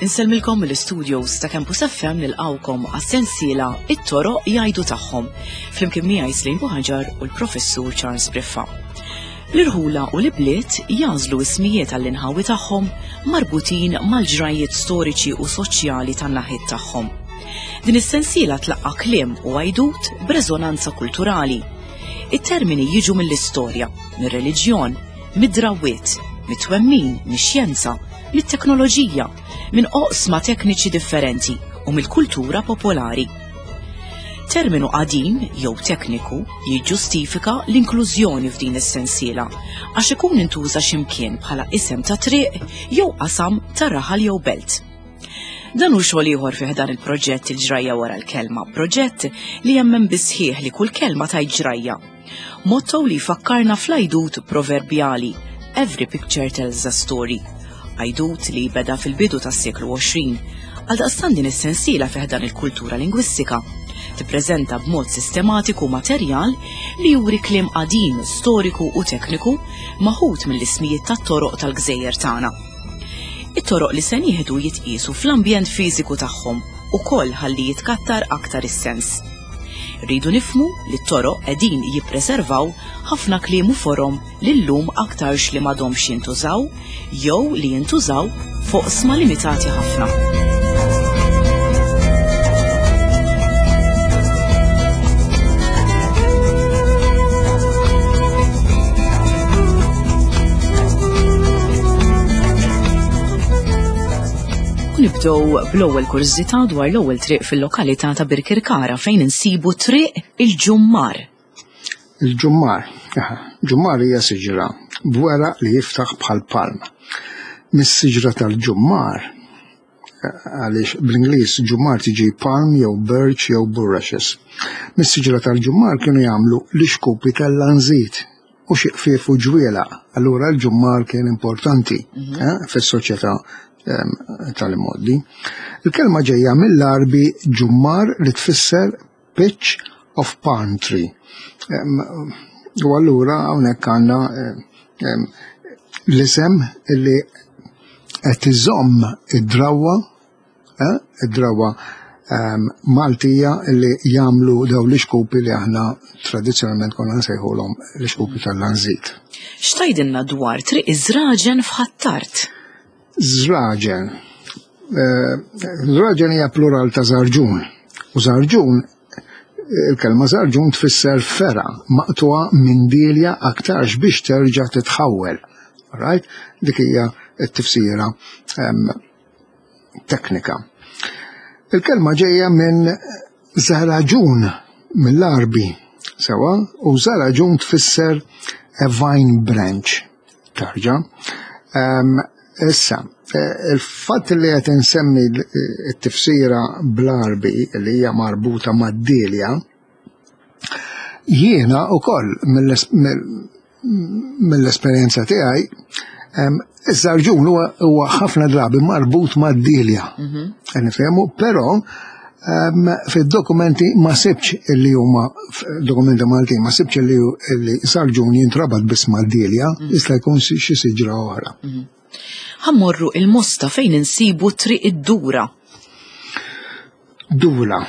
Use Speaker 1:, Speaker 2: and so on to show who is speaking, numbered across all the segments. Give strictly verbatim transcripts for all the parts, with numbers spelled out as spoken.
Speaker 1: Insellmilkom mill-studios ta' Campus F M, nilqgħukom għas-sensiela It-Toroq Jgħidu Tagħhom, flimkien miegħi Slim Buħaġar u l-Professur Charles Briffa. L-irħula u l-bliet jagħżlu ismijiet għall-inħawi tagħhom marbutin mal-ġrajiet storiċi u soċjali tan-naħiet tagħhom. Din is-sensiela tlaqqa kliem u għajdut b'reżonanza kulturali. It-termini jiġu mill-istorja, mir-reliġjon, mid-drawwiet, mit-twemmin, mix-xjenza, mit-teknoloġija, minn oqsma tekniċi differenti u mill-kultura popolari. Terminu qadim jew tekniku jiġġustifika l-inklużjoni f'din is-sensiela għax ikun intuża x'imkien bħala isem ta' triq jew qasam ta' raħal jew belt. Dan hu xogħol ieħor fih dan il-proġett Il-Ġrajja Wara l-Kelma, proġett li jemmen bisħieħ li kull kelma tgħid ġrajja. Motto li fakkarna fl-għajdut proverbjali "Every picture tells a story". Għajdut li beda fil-bidu tas-seklu għoxrin. Għaldaqstant din is-sensiela fih dan il-kultura lingwistika tippreżenta b'mod sistematiku materjal li juri kliem qadim, storiku u tekniku maħut mill-ismijiet tat-toroq tal-gżejjer tagħna. It-toroq li se nieħdu jitqiesu fl-ambjent fiżiku tagħhom ukoll ħalli jitkattar aktar is-sens. Rridu nifhmu li t-toroq qegħdin jippreservaw ħafna kliem u forom li llum aktarx li m'għadhomx jintużaw jew li jintużaw f'oqsma limitati ħafna. U nibdew bl-ewwel kurżità dwar l-ewwel triq fil-lokalità ta' Birkirkara, fejn insibu Triq il-Ġummar.
Speaker 2: Il-ġummar, aha, ġummar hija siġra b'weraq li jiftaħ bħal palm. Mis-siġra tal-ġummar, għaliex bl-Ingliż ġummar tiġi palm jew birch jew bulrushes. Mis-siġra tal-ġummar kienu jagħmlu l-ixkupi tal-lanżit u xi qfief u ġwielaq. Allura l-ġummar kien importanti eh, fis-soċjetà em, tal-imgħoddi. Il-kelma ġejja mill-Arbi ġummar, li tfisser pitch of palm tree. Em, U allura hawnhekk għandna em, l-isem li qed iżomm id-drawwa, eh, id-drawwa em, Maltija li jagħmlu daw l-ixkupi li aħna tradizzjonalment konna nsejħulhom l-ixkupi tal-lanżit.
Speaker 1: X'tgħidilna dwar Triq Iż-Żraġen f'Ħ'Attard?
Speaker 2: Żraġen. Eh, Żraġen hija plural ta' żarġun. U żarġun, il-kelma żarġun tfisser fergħa maqtugħa minn dilja, aktarx biex terġa' titħawwel. Right? Dik hija t-tifsira em, teknika. Il-kelma ġejja minn zaraġun mill-Arbi, sewa, u zaraġun tfisser a vine branch, tarġa. Um, issa, eh, il-fatt li qed insemmi t-tifsira bl-Arbi li hija marbuta mad-dilja, jiena ukoll mill-esperjenza tiegħi, em, iż-żarġun huwa huwa ħafna drabi marbut mad-dilja. Qed nifhemu, però em, fid-dokumenti ma sibx illi huma, dokumenti Maltin, ma sibx illi illi żarġun jintrabat biss mad-dilja, jista' jkun xi siġra oħra.
Speaker 1: Ħa mmorru il-Mosta fejn insibu Triq id-Dura.
Speaker 2: Dura,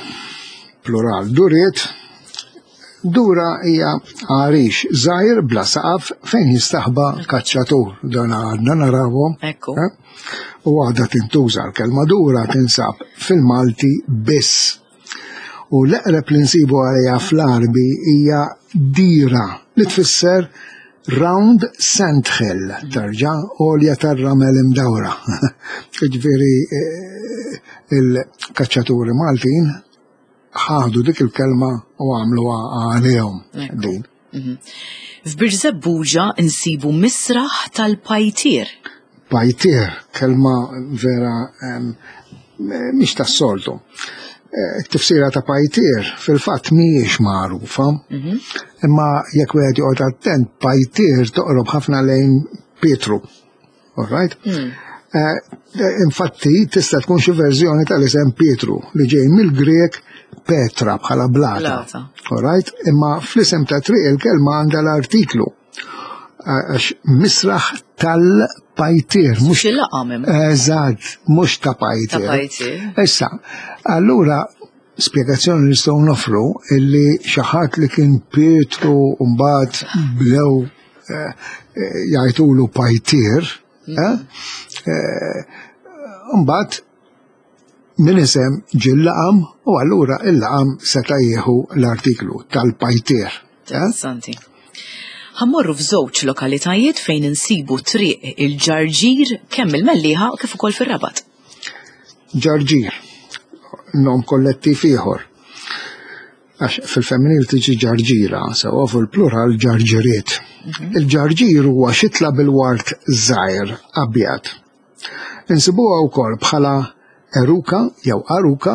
Speaker 2: plural, duriet. Dura hija għarix żgħir bla saqaf fejn jistaħba l-kaċċatur. Dan għadna narawhom.
Speaker 1: Ekku.
Speaker 2: Eh? U għadha tintuża l-kelma dura, tinsab fil-Malti biss. U l-eqreb li nsibu għalija fl-Arbi hija dira, li tfisser round sandhill, tarġa għolja tar-ramel imdawra. Ġifieri eh, il-kaċċaturi Maltin ħadu dik il-kelma u għamluha għalihom
Speaker 1: Ekku.
Speaker 2: din.
Speaker 1: Mhm. F'Birżebbuġa insibu Misraħ tal-Pajtier.
Speaker 2: Pajtier, kelma vera em, mhix tas-soltu. Eh, It-tifsira ta' pajtier fil-fatt mhijiex magħrufa, imma jekk wieħed joqgħod attent, pajtier toqrob ħafna lejn Pietru. All right? Eh, Infatti tista' tkun xi verżjoni tal-isem Pietru li ġej mill-Grek Petra, bħala blata.
Speaker 1: Blata.
Speaker 2: All right? Imma fl-isem ta' triq il-kelma għandha l-artiklu. Għax misraħ tal-pajtier, mhux
Speaker 1: Xi laqam hemm.
Speaker 2: Eżatt, mhux ta' pajtier.
Speaker 1: Ta' pajtier.
Speaker 2: Issa, allura spjegazzjoni li nistgħu nofru illi xi ħadd li kien Pietru mbagħad bdew eh, eh, jgħidulu pajtier, eh, eh, mbagħad min isem ġie l-laqam u allura il-laqam seta' jieħu l-artiklu tal-pajtier. eh?
Speaker 1: Interessanti. Ħa mmorru f'żewġ lokalitajiet fejn insibu triq il-Ġarġir kemm il-Mellieħa kif ukoll fir-Rabat.
Speaker 2: Ġarġir, nom kollettiv ieħor. Għax fil-femminil tiġi ġarġira, sewa fil-plural ġarġiriet. Il-ġarġir huwa xitla bil-wart żgħir abjad. Insibuha wkoll bħala eruka jew aruka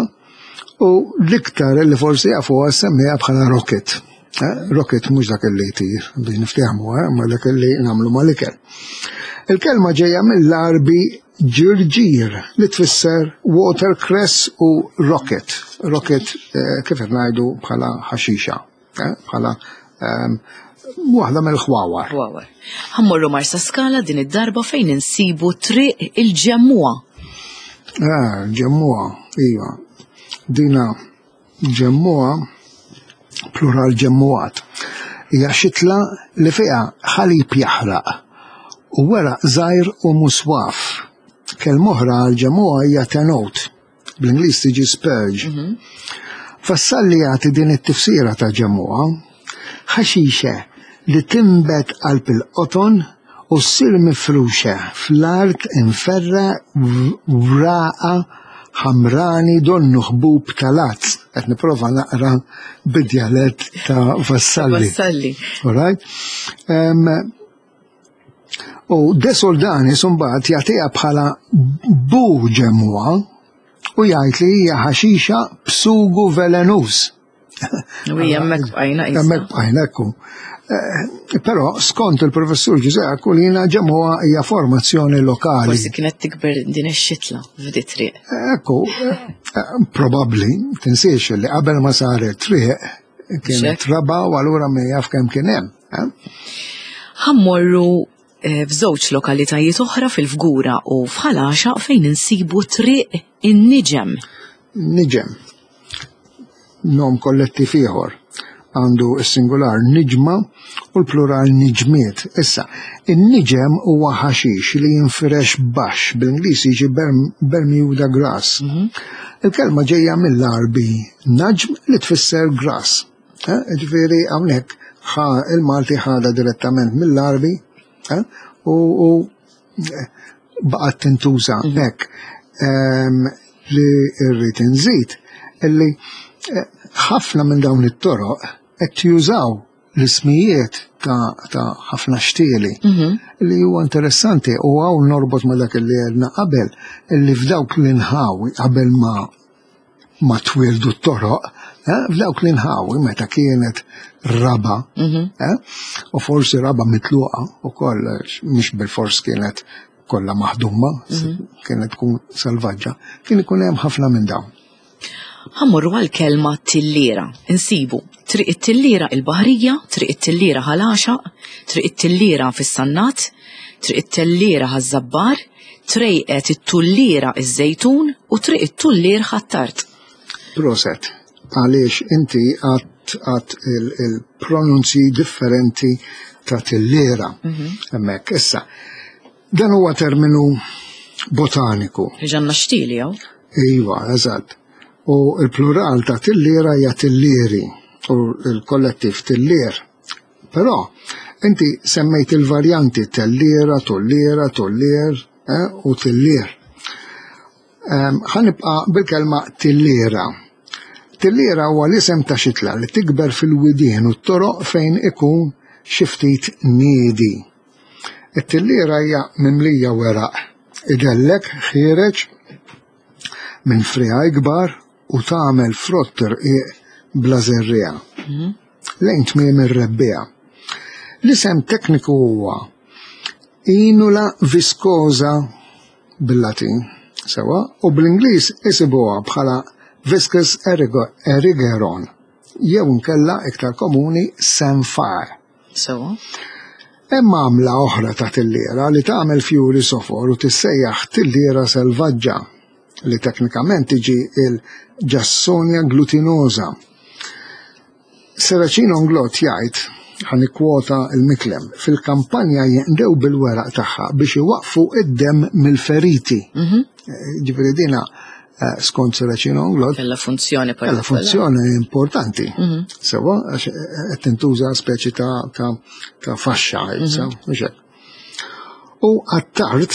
Speaker 2: u l-iktar li forsi jafuha semmiha bħala rocket. Eh, Rocket mhux dak li jtir biex niftehmu, eh, ma dak li nagħmlu mal-ikel. Il-kelma ġejja mill-Arbi ġirġir li tfisser watercress u rocket. Rocket eh, kif qed ngħidu bħala ħaxixa, eh, bħala ehm, waħda mill-ħwawar.
Speaker 1: Ħwawar. Ħa mmorru Marsa Skala din id-darba fejn insibu triq il-Ġemmuha.
Speaker 2: Ah, ġemmuha, iva. Dina ġemmuha, plural ġemmuat. Hija xitla li fiha ħalib jaħraq u weraq żgħir u muswaf. Kelma oħra għal ġemmuha hija tenot. Bl-Ingliż tiġi spurge. Vassalli jagħti din it-tifsira ta' ġemmuha, ħaxixe li timbet qalb il-qoton u ssir mifruxa fl-art imferra wraqa ħamrani donnu ħbub tal-għads. Qed nipprova naqra bid-djalett ta' Vassalli.
Speaker 1: Vassalli.
Speaker 2: All right? Um, u De Soldani mbagħad jagħtiha bħala bu ġemmuha u jgħid li hija ħaxixa b'sugu velenuż.
Speaker 1: U hija hemmhekk bqajna qisna.
Speaker 2: Hemmhekk bqajna ekku. Eh, Però skont il-professur Ġużè Aquilina ġemmuha hija formazzjoni lokali.
Speaker 1: Forsi kienet tikber din ix-xitla f'di triq.
Speaker 2: Ekku, eh, probabbli, tinsiex li qabel ma saret triq kienet
Speaker 1: Xek.
Speaker 2: raba u allura min jaf kemm kien hemm. eh?
Speaker 1: Ħa mmorru eh, f'żewġ lokalitajiet oħra fil-Fgura u f'Ħal Għaxaq fejn insibu triq in-Niġem.
Speaker 2: Niġem. Nom kollettiv ieħor. Għandu s-singular niġma u l-plural niġmiet. Issa, in-niġem huwa ħaxix li jinfirex baxx, bil-Ingliż jiġi Berm- Bermuda grass. Il-kelma ġejja mill-Arbi naġm li tfisser grass. Eh, Ġifieri hawnhekk ħa il-Malti ħada direttament mill-Arbi eh, u, u eh, baqgħet tintuża hekk. Ehm, li rrid inżid illi eh, ħafna minn dawn it-toroq qed jużaw l-ismijiet ta' ta' ħafna xtieli li huwa interessanti u hawn norbot ma' dak li għedna qabel illi f'dawk l-inħawi qabel ma ma twildu t-toroq, eh, f'dawk l-inħawi meta kienet raba, eh, u forsi raba mitluqa u koll, mhux bil-fors kienet kollha maħduma, kienet tkun selvaġġa, kien ikun hemm ħafna minn dawn.
Speaker 1: Ħa mmorru għal-kelma tillira. Insibu triq it-tillira il-Baħrija, triq it-tillira Ħal Għaxaq, triq it-tillira fis-Sannat, triq it-tellira Ħaż-Żabbar, trejqet it-tullira iż-Żejtun u triq it-tullir Ħ'Attard.
Speaker 2: Proset, għaliex inti għat għat il-pronunzi differenti ta' tillira. Hemmhekk, issa, dan huwa terminu botaniku.
Speaker 1: Ġanna xtili jew?
Speaker 2: Iva, eżatt. U il-plural ta' tillira hija tillieri u il-kollettiv tillier. Però, inti semmejt il-varjanti tellira, tollira, tollier eh, u tillier. Ehm, Ħa nibqa' bil-kelma tillira. Tillira huwa l-isem ta' xitla li tikber fil-widien u t-toroq fejn ikun xi ftit niedi. It-tillira hija mimlija weraq, idellek ħiereġ minn friegħi kbar u tagħmel frott irqiq bla żerriegħa. Lejn tmiem ir-rebbiegħa. L-isem tekniku huwa Inula viscosa bil-Latin, sewa, u bl-Ingliż isibuha bħala Viscus erigeron, jew nkella iktar komuni samphire.
Speaker 1: So.
Speaker 2: Hemm għamla oħra ta' tilliera li tagħmel fjuri sofor u tissejjaħ tilliera selvaġġa, li teknikament tiġi il-Jassonia glutinosa. Serracino Inglott jgħid, ħa nikkwota il-Miklem, fil-kampanja jinqdew bil-weraq tagħha biex iwaqfu id-dem mill-feriti.
Speaker 1: Mhm.
Speaker 2: Ġifieri dina eh, skont Serracino Inglott
Speaker 1: Kella funzjoni
Speaker 2: Kella
Speaker 1: partikolari.
Speaker 2: funzjoni importanti.
Speaker 1: Mhm.
Speaker 2: Sewa, għax qed tintuża speċi ta' ta' ta' faxxa, issa, mhux hekk. U Attard,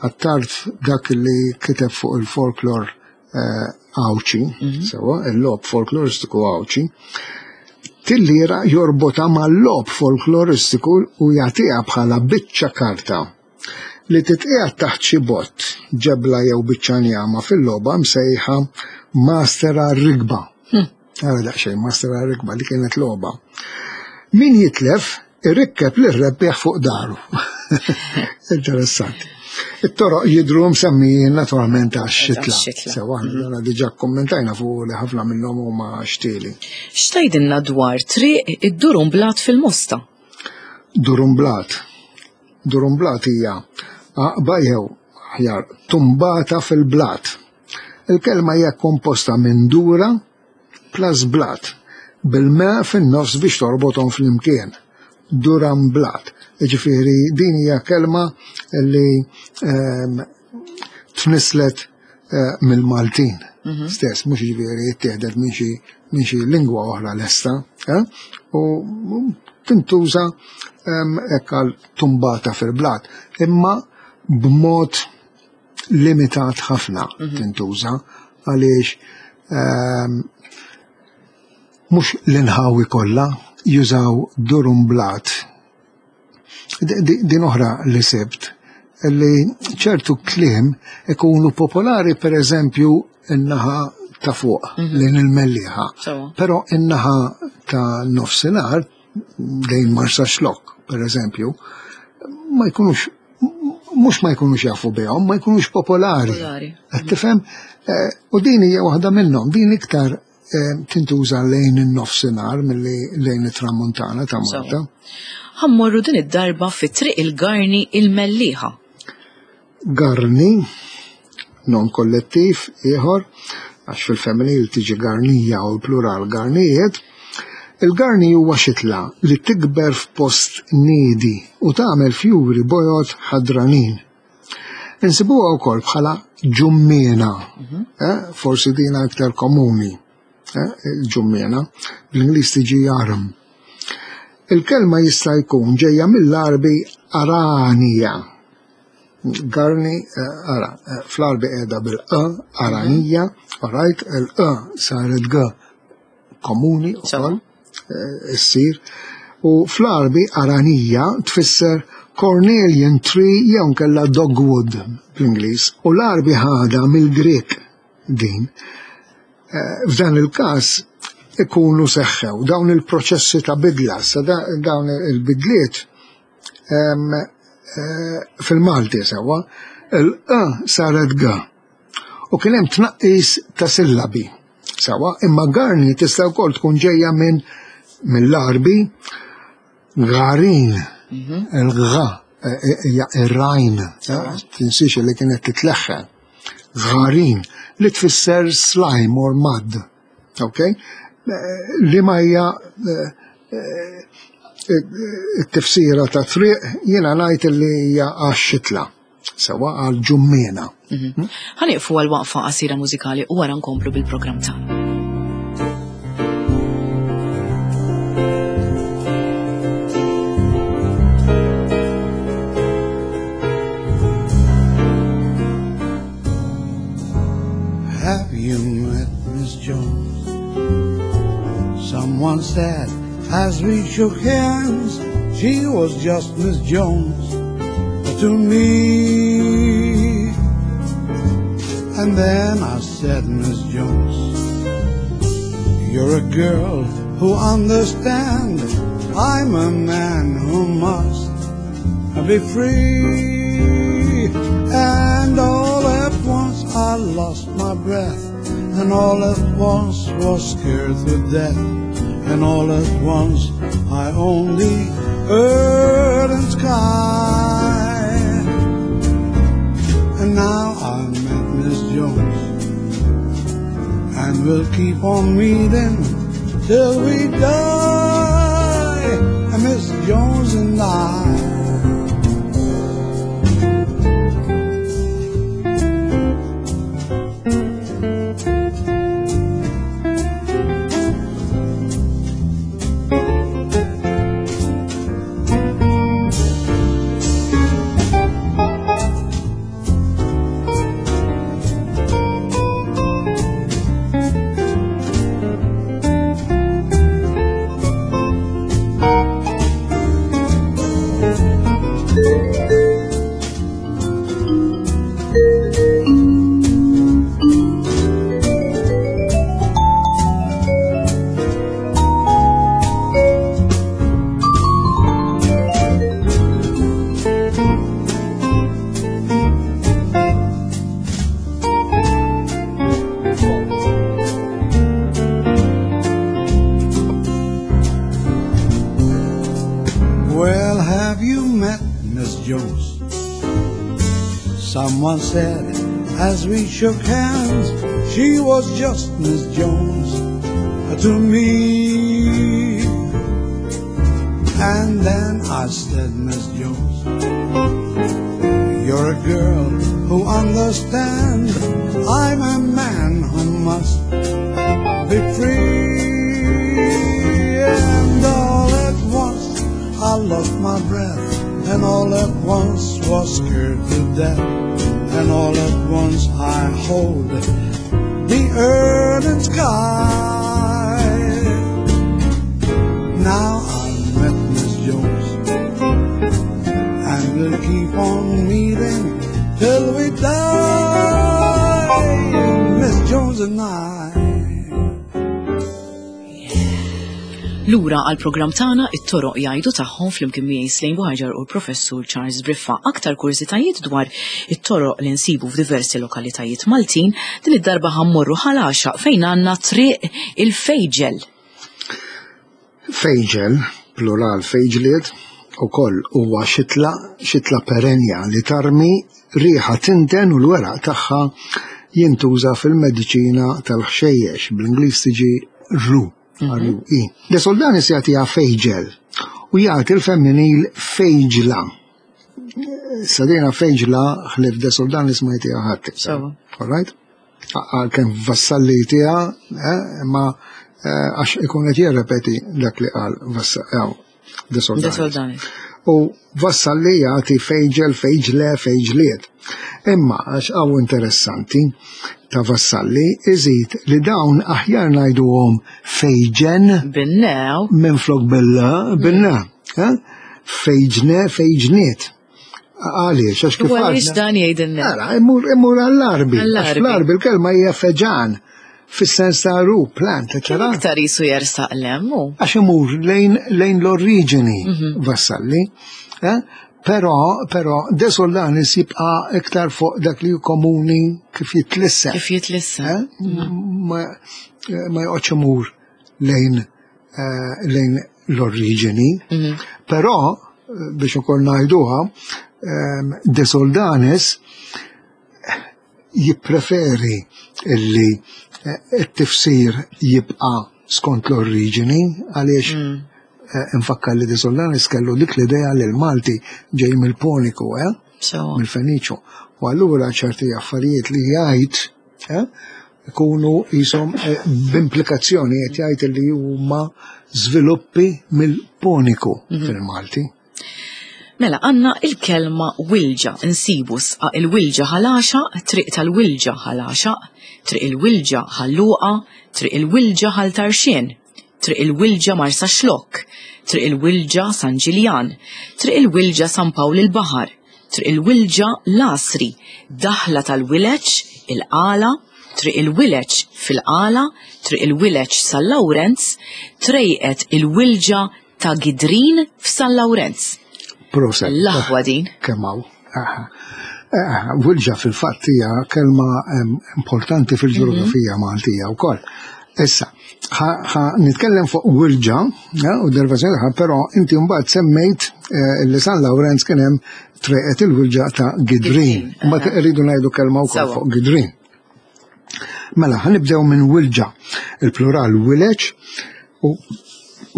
Speaker 2: Attard dak li kiteb fuq il-folklor eh, Għawdxi, sewa, il-logħob folkloristiku Għawdxi, tillira jorbota mal-logħob folkloristiku u jagħtiha bħala biċċa karta li titqiegħed taħt xi bott, ġebla jew biċċa njama fil-logħba msejħa Master Rigba. Għara daqsxejn Master Rigba li kienet logħba. Min jitlef irrikkeb lir-rebbieħ fuq daru. Interessanti. It-toroq jidru msemmijin naturalment għax-xitla.
Speaker 1: Għax-xitla.
Speaker 2: Sewa, aħna diġà kommentajna fuq li ħafna minnhom huma xtieli.
Speaker 1: X'tgħidilna dwar triq id-Durumblat fil-Mosta?
Speaker 2: Durumblat. Durumblat hija għaqba jew aħjar tumbata fil-blat. Il-kelma hija komposta minn dura plus blat, bil-ma fin-nofs biex torbothom flimkien. Duramblat. Ġifieri din hija kelma li ehm, tnislet eh, mill-Maltin stess, mhux ġifieri jittieħdet minn xi minn xi lingwa oħra lesta, eh? U tintuża ehm, hekk għal tumbata fil-blat, imma b'mod limitat ħafna tintuża għaliex ehm, mhux l-inħawi kollha jużaw durumblat. D- di- Din oħra li sibt li ċertu kliem ikunu popolari per eżempju in-naħa ta' fuq lejn il-Mellieħa.
Speaker 1: Sewa.
Speaker 2: Però in-naħa ta' nofsinhar lejn Marsaxlokk, per eżempju, ma jkunux mhux ma jkunux jafu bihom, ma jkunux popolari.
Speaker 1: Popolari.
Speaker 2: Qed tifhem? Eh, U din hija waħda minnhom, din iktar eh, tintuża lejn in-nofsinhar milli lejn it-tramuntana ta' Malta.
Speaker 1: Ħa mmorru din id-darba fi triq il-Garni il-Mellieħa.
Speaker 2: Garni, non kollettiv ieħor, għax fil-femminil tiġi garnija u l-plural garnijiet, il-garni huwa xitla li tikber f'post niedi u tagħmel fjuri bojod ħadranin. Insibuha wkoll bħala ġummiena, eh, forsi dina iktar komuni, eh, il-ġummiena, bl-Ingliż tiġi arum. Il-kelma jista' jkun ġejja mill-Arbi aranija. Garni, eh, ara, eh, fl-Arbi qiegħda bil-e, aranija, alright, il-e saret g komuni
Speaker 1: Sewa.
Speaker 2: ukoll, eh, issir. U fl-Arbi aranija tfisser Cornelian tree jew nkella dogwood bl-Ingliż. U l-Arbi ħada mill-Grek din. Eh, F'dan il-każ ikunu seħħew dawn il-proċessi ta' bidla, sa da- dawn il-bidliet em, eh, fil-Malti sewa, il-e saret g. U kien hemm tnaqqis ta' sillabi. Sewa, imma garni tista' wkoll tkun ġejja minn mill-Arbi garin, il-gha, eh, hija ir-rajn, eh, tinsiex li kienet titleħħen. Gharin, li tfisser slime or mud. Ok? Eh, Li ma hija eh, eh, it-tifsira ta' triq jiena ngħid li hija għax-xitla, sewa għal ġummiena.
Speaker 1: Ħa nieqfu għal waqfa qasira mużikali u wara nkomplu bil-programm tagħna.
Speaker 3: Have you met Miss Jones? Someone said as we shook hands, she was just Miss Jones to me. And then I said, Miss Jones, you're a girl who understands. I'm a man who must be free. And all at once I lost my breath And all at once was scared to death, and all at once I only earth and sky. And now I met Miss Jones, and we'll keep on meeting till we die, and Miss Jones and I. Well, have you met Miss Jones? Someone said as we shook hands, she was just Miss Jones to me. And then I said, Miss Jones, you're a girl who understands. I'm a man who must be free. And all at once I lost my breath, and all at once was scared to death, and all at once I hold the earth and sky. Now I met Miss Jones, and we'll keep on meeting till we die, Miss Jones and I.
Speaker 1: Lura għal programm tagħna it-toroq jgħidu tagħhom flimkien miegħi Slane Buhaġar u l-Professur Charles Briffa. Aktar kurżitajiet dwar it-toroq li nsibu f'diversi lokalitajiet Maltin, din id-darba ħa mmorru Ħal Għaxaq fejn għandna triq il-Fejġel.
Speaker 2: Fejġel, plural fejġliet, ukoll huwa xitla, xitla perenja li tarmi riħa tinten u l-weraq tagħha jintuża fil-mediċina tal-ħxejjex, bl-Ingliż tiġi ru. R U E. De Soldanis jagħtiha fejġel u jagħti l-femminil fejġla. Sadina fejġla ħlief De Soldanis ma jtiha ħadd iktar.
Speaker 1: Sewa.
Speaker 2: All right? Għalkemm Vassalli jtiha, eh, imma, eh, għax ikun qed jirrepeti dak li qal Vassa-, eh, De Soldanis.
Speaker 1: De Soldanis.
Speaker 2: U Vassalli jagħti fejġel, fejġle, fejġliet. Imma għax hawn interessanti ta' Vassalli iżid li dawn aħjar ngħiduhom fejġen
Speaker 1: Binnew.
Speaker 2: minflok billa, binna. Eh? Fejġne, fejġniet. Għaliex, għax kif
Speaker 1: U għaliex
Speaker 2: għadna?
Speaker 1: dan jgħidilna?
Speaker 2: Ara, imur, imur għall-arbi. Għax
Speaker 1: Għall-arbi.
Speaker 2: fl-arbi l-kelma hija feġan, fis-sens ta' ru, plant, eccetera.
Speaker 1: Iktar jisu jersaq lemmu.
Speaker 2: Għax imur lejn, lejn l-oriġini
Speaker 1: Mhm.
Speaker 2: Vassalli. Eh? Però, però De Soldanis jibqa' iktar fuq dak li hu komuni kif jitlissen.
Speaker 1: Kif jitlissen.
Speaker 2: Eh? Ma, ma joqgħodx imur lejn, eh, lejn l-oriġini.
Speaker 1: Mhm.
Speaker 2: Però, biex ukoll ngħiduha, ehm, De Soldanis jippreferi illi, eh, it-tifsir jibqa' skont l-oriġini, għaliex
Speaker 1: Mm.
Speaker 2: eh, infakkar li De Soldanis kellu dik l-idea li l-Malti ġej mill-Poniku, eh?
Speaker 1: Sewa.
Speaker 2: Mill-Feniċu. U allura ċerti affarijiet li jgħid, eh, ikunu jisom, eh, b'implikazzjoni qed jgħid li huma żviluppi mill-Poniku
Speaker 1: Mhm.
Speaker 2: fil-Malti.
Speaker 1: Mela, għanna il-kelma wilġa, nsibu sqa il-wilġa Ħal Għaxaq, triq tal-wilġa Ħal Għaxaq, triq il-wilġa Ħal Luqa, triq il-wilġa Ħal Tarxien, triq il-wilġa Marsaxlokk, triq il-wilġa San Ġiljan, triq il-wilġa San Pawl il-Baħar, triq il-wilġa Lasri, daħla tal-wileċ, il-Qala, triq il-wileċ fil-Qala, triq il-wileċ San Lawrenz, trejqet il-wilġa ta' Gidrin f'San Lawrenz.
Speaker 2: Proset.
Speaker 1: L-aħwa din.
Speaker 2: Kemm hawn. Aha. Eh, Wilġa fil-fatt hija kelma em, importanti fil-ġeografija Maltija wkoll. Issa, ħa nitkellem fuq Wilġa, eh, u derivazzjoni tagħha, però inti mbagħad semmejt eh, li San Lawrenz kien hemm treqet il-Wilġa ta' Gidrin. Mbagħad irridu ngħidu kelma wkoll fuq Gidrin. Mela, ħa nibdew minn Wilġa, il-plural wileġ, u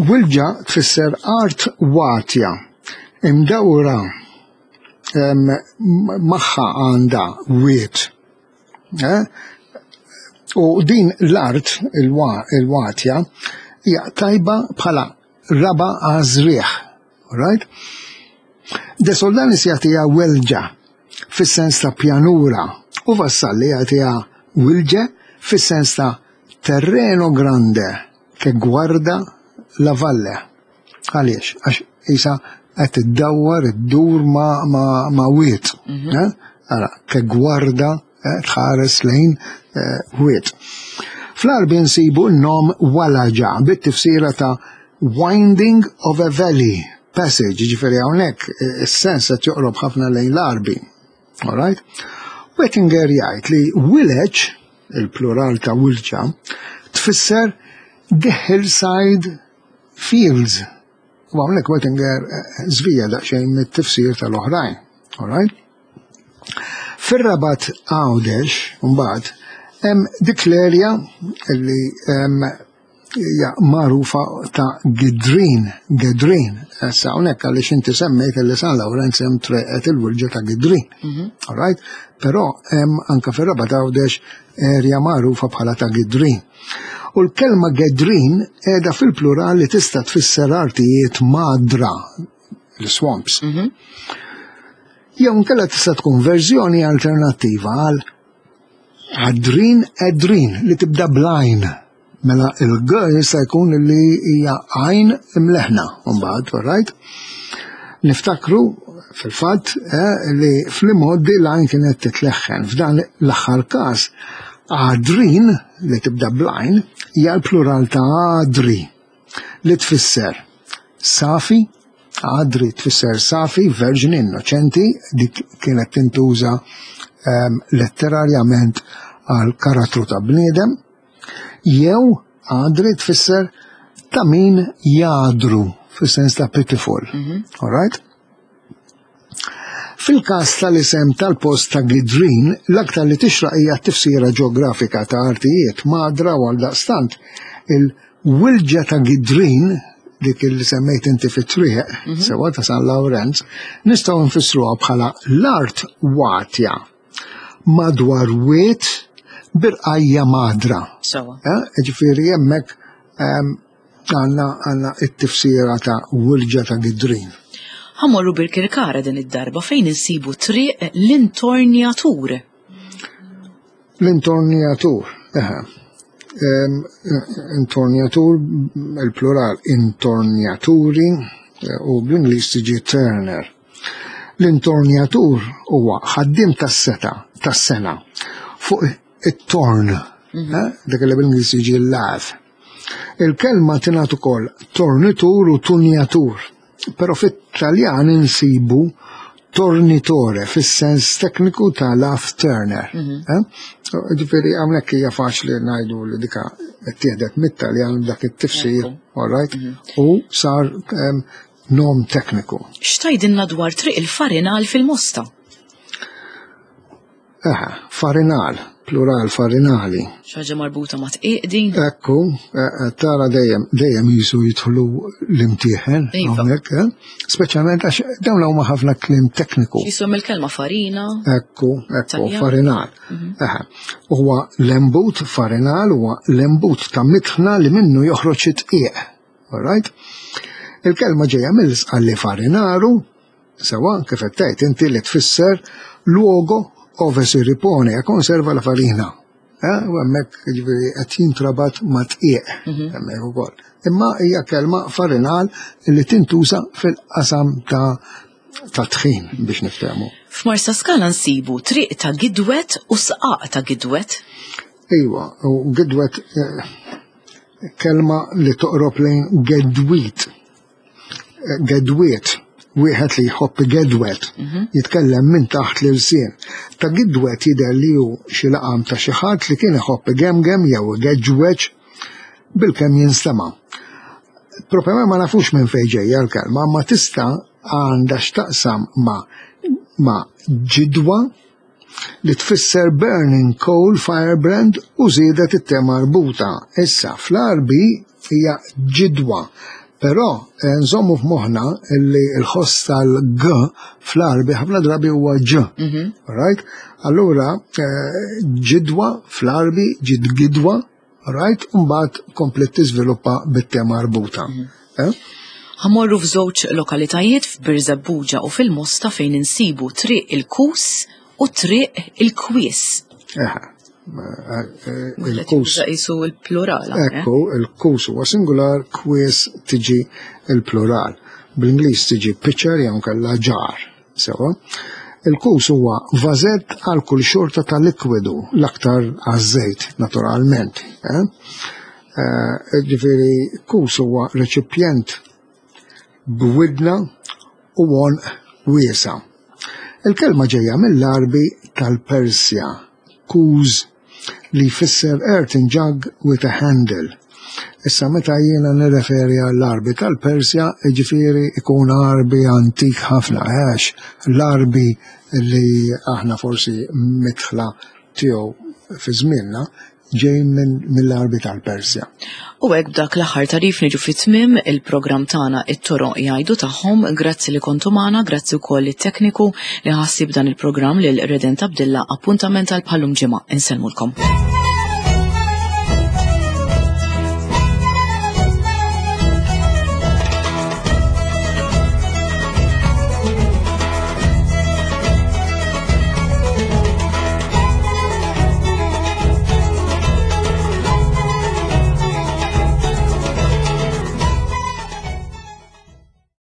Speaker 2: Wilġa tfisser art watja, imdawra magħha għandha wied. Eh? U din l-art, il-watja, hija tajba bħala raba għażrieħ. Right? De Soldanis jagħtiha welġa fis-sens ta' pjanura u Vassalli jagħtiha wilġe fis-sens ta' terreno grande che guarda la valle. Għaliex? Għax isa qed iddawwar iddur ma, ma, ma wied. Eh? Ara, che guarda eh, tħares lejn eh, wied. Fl-Għarbi nsibu n-nom walaġa bit-tifsira ta' winding of a valley passage, ġifieri hawnhekk is-sens qed joqrob ħafna lejn l-Għarbi. All right? Wettinger jgħid li village, il-plural ta' wilġa, tfisser the hillside fields. U hawnhekk Wettinger żvija daqsxejn mit-tifsir tal-oħrajn. All right? Fir-Rabat Għawdex, mbagħad, hemm dik l-erja li hija magħrufa ta' Gidrin, Gedrin. Issa hawnhekk għaliex inti semmejt li San Lawrenz hemm treqet il-wilġa ta' Gidrin. All right? Però hemm anke fir-Rabat Għawdex erja magħrufa bħala ta' Gidrin. U l-kelma Gedrin qiegħda fil-plural li tista' tfisser artijiet madra, l-swamps. Jew inkella tista' tkun verżjoni alternattiva għal għadrin edrin li tibda bl-għajn. Mela il-G jista' jkun li hija għajn imleħna, mbagħad, right? Niftakru fil-fatt eh, li fl-imgħoddi l-għajn kienet titleħħen. F'dan l-aħħar każ għadrin li tibda bl-għajn hija l-plural ta' għadri li tfisser safi, għadri tfisser safi, verġni, innoċenti, dik kienet tintuża um, letterarjament għal karattru ta' bniedem, jew għadri tfisser ta' min jadru, fis-sens ta' pitiful. All right? Fil-każ tal-isem tal-post ta' Gidrin, l-aktar li tixraq hija tifsira ġeografika ta' artijiet madra u għaldaqstant il-wilġa ta' Gidrin, dik li semmejt inti fit-triq, sewa ta' San Lawrenz, nistgħu nfissruha bħala l-art watja madwar wied b'irqajja' madra.
Speaker 1: Sewa.
Speaker 2: Eh, Ġifieri hemmhekk ehm, għandna għandna it-tifsira ta' wilġa ta' Gidrin.
Speaker 1: Ħa mmorru Birkirkara din id-darba fejn insibu triq l-intornjatur.
Speaker 2: L-intornjatur, eħe. Em, Intornjatur, il-plural, intornjaturi, eh, u bl-Ingliż tiġi turner. L-intornjatur huwa ħaddim tas-seta, tas-sengħa, fuq it-torn, eh, dak li bl-Ingliż jiġi l-lathe. Il-kelma tingħad ukoll tornitur u tunjatur, però fit-Taljan insibu tornitore fis-sens tekniku ta' lathe turner. Eh? Ġifieri hawnhekk hija faċli ngħidu li dika ttieħdet mit-Taljan dak it-tifsir, all right? U sar em, nom tekniku.
Speaker 1: X'tgħidilna dwar triq il-Farinal fil-Mosta?
Speaker 2: Eħe, farinal, plural farinali.
Speaker 1: Xi ħaġa marbuta ma' dqiq din?
Speaker 2: Ekku, eh, eh, tara dejjem dejjem jisu jidħlu l-imtieħen
Speaker 1: Iva.
Speaker 2: hawnhekk, eh? Speċjalment għax dawn huma ħafna kliem tekniku.
Speaker 1: Jisom il-kelma farina.
Speaker 2: Ekku, ekku,
Speaker 1: Taljan.
Speaker 2: farinal. Eħe. Huwa l-embut farinal huwa l-embut ta' mitħna li minnu joħroġ it-dqiq. All right? Il-kelma ġejja mill-Isqalli farinaru, sewa kif qed tgħid inti li tfisser luogo ove si ripone e conserva la farina. Eh, u hemmhekk jiġifieri qed jintrabat ma' dqiq hemmhekk ukoll. Imma hija kelma farinal li tintuża fil-qasam ta' ta' tħin biex niftehmu.
Speaker 1: F'Marsa Skala nsibu triq ta' Gidwet u sqaq ta' Gidwet.
Speaker 2: Iwa, u Gidwet eh, kelma li toqrob lejn gedwit. Eh, Gedwiet, Wieħed li jħobb igedwet, jitkellem minn taħt l-ilsien. Ta' gidwet jidher li hu xi laqam ta' xi ħadd li kien iħobb igemgem jew igeġweġ bilkemm jinstema'. Proprjament ma nafux minn fejn ġejja l-kelma, ma tista' għandha x'taqsam ma' ma' ġidwa li tfisser burning coal, firebrand, u żiedet it-te marbuta. Issa, fl-Għarbi hija ġidwa. Però eh, nżommu f'moħħna li l-ħoss tal-G fl-Għarbi ħafna drabi huwa Ġ. Right? Allura, eh, ġidwa fl-Għarbi, ġidgidwa, right? Mbagħad komplet tiżviluppa bit-te marbuta. Eh?
Speaker 1: Ħa mmorru f'żewġ lokalitajiet, f'Birżebbuġa u fil-Mosta, fejn insibu Triq il-Kus u Triq il-Kwies.
Speaker 2: Eħe. Eh, eh, Il-kus.
Speaker 1: Jisu il-plural. eh?
Speaker 2: Ekku, il-kus huwa singular, kwies tiġi il-plural. Bl-Ingliż tiġi pitcher jew kella jar. Sewa. Il-kus huwa vażett għal kull xorta ta' likwidu, l-aktar għaż-żejt, naturalment. Eh? Eh, Ġifieri, kus huwa reċipjent b'widna u għonq wiesa'. Il-kelma ġejja mill-Għarbi tal-Persja, kuz, li jfisser earthen jug with a handle. Issa, meta jiena nirreferi għall-Għarbi tal-Persja, ġifieri ikun Għarbi antik ħafna, għax l-Għarbi li aħna forsi midħla tiegħu fi żmienna ġej minn mill-Għarbi tal-Persja.
Speaker 1: U hekk, b'dak l-aħħar tagħrif, niġu fi tmiem il-programm tagħna It-Toroq Jgħidu Tagħhom. Grazzi li kontu magħna, grazzi wkoll it-tekniku li ħassib dan il-programm, lil Redent Abdilla. Appuntament għal bħal-lum ġimgħa. Insellmulkom.